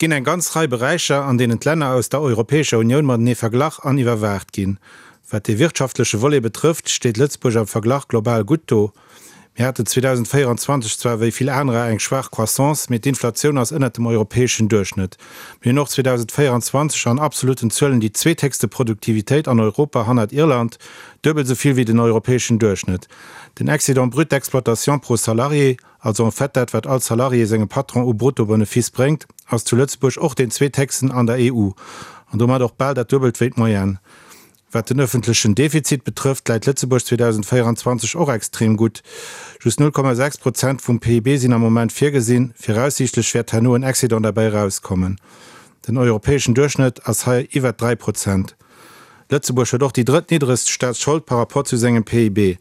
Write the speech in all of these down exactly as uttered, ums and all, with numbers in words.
ginn eng ganz Rei Beräicher, an deenen d'Länner aus der Europäescher Unioun matenee verglach an iwwerwaacht ginn. Wat de wirtschaftleche Volet betrëfft, steet Lëtzebuerg am Verglach global gutt do. Mir haten zweedausendvéierenzwanzeg zwar wéi vill anerer eng schwaach Croissance, mee d'Inflatioun ass ënnert dem europäeschen Duerchschnëtt. Mir hunn och zweedausendvéierenzwanzeg an absolutten Zuelen déi zweethéchste Produktivitéit an Europa hannert Irland, duebel esou vill wéi den europäeschen Duerchschnëtt. Den Excédent brut d'exploitation pro salarié, also en fait dat wat all Salarié sengem Patron u Bruttobenefice bréngt, ass zu Lëtzebuerg och deen zweethéchsten an der E U an domat och bal dat Duebelt wéi d'Moyenne. Wat den ëffentlechen Defizit betrëfft, läit Lëtzebuerg zweedausendvéierenzwanzeg och extrem gutt. Just null Komma sechs Prozent vum P I B sinn am Moment virgesinn, viraussiichtlech wäert herno en Excédent derbäi erauskommen. Den europäeschen Duerchschnëtt ass hei iwwert dräi Prozent. Lëtzebuerg huet och déi drëttniddregst Staatsschold par rapport zu sengem P I B.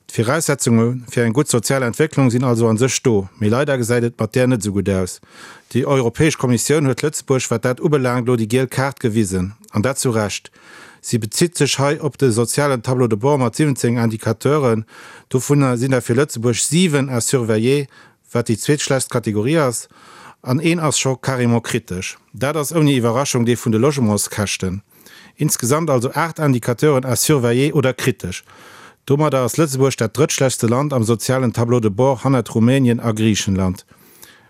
D'Viraussetzunge fir eng gutt sozial Entwécklung sinn also an sech do, mee leider gesäit et mat där net esou gutt aus. Déi Europäesch Kommissioun huet Lëtzebuerg, wat dat ubelaangt, elo déi giel Kaart gewisen, an dat zu Recht. Si bezitt sech hei op de sozialen Tableau de bord mat siwwenzéng Indicateuren. Dovunner sinn der fir Lëtzebuerg siwen à surveiller, wat déi zweetschlechtst Kategorie ass, an een ass scho carrément kritesch. Dat ass ouni Iwwerraschung dee vun de Logementskäschten. Insgesamt also aacht Indicateuren à surveiller oder kritesch. Domadder ass Lëtzebuerg dat drëttschlechtste Land am sozialen Tableau de bord hannert Rumänien a Griichenland.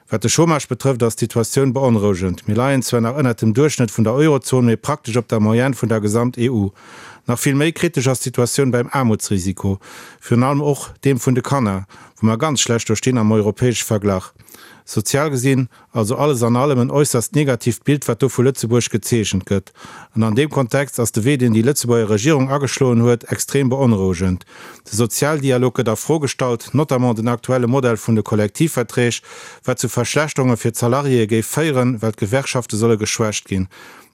Wat de Chômage betrëfft, ass d'Situatioun beonrouegend. Mir leien zwar nach ënnert dem Duerchschnëtt vun der Eurozon, mee praktesch op der Moyenne vun der Gesamt-E U. Nach vill méi kritesch ass d'Situatioun beim Aarmutsrisiko, virun allem och deem vun de Kanner, wou mer ganz schlecht do stinn am europäesche Verglach. Sozial gesinn also alles an allem en äusserst negatiivt Bild, wat do vu Lëtzebuerg gezeechent gëtt. An an deem Kontext ass de Wee, deen déi Lëtzebuerger Regierung ageschloen huet, extrem beonrouegend. De Sozialdialog gëtt a Fro gestallt, notamment den aktuelle Modell vun de Kollektivverträg, wat zu Verschlechterunge fir d'Salariéë géif féieren, well d'Gewerkschafte solle geschwächt ginn.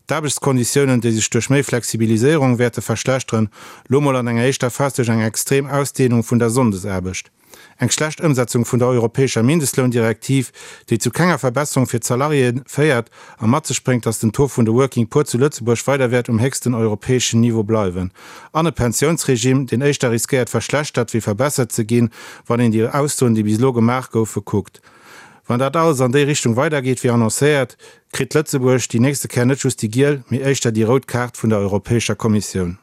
D'Aarbechtskonditiounen, déi sech duerch méi Flexibiliséierung wäerte verschlechteren, lo mol an enger éischter Phas duerch eng extrem Ausdehnung vun der Sonndesaarbecht. Eng schlecht Ëmsetzung vun der europäescher Mindestloundirektiv, déi zu kenger Verbesserung fir d'Salariéë féiert a mat sech bréngt, dass den Taux vun de Working Poor zu Lëtzebuerg weider wäert um héchsten europäeschen Niveau bleiwen, an e Pensiounsregime, deen éischter riskéiert verschlechtert wéi verbessert ze ginn, wann een déi Aussoen, déi bis elo gemaach goufe, kuckt. Wann dat alles an déi Richtung weidergeet wéi annoncéiert, kritt Lëtzebuerg déi nächste Kéier net just déi giel, mee éischter déi rout Kaart vun der Europäescher Kommissioun.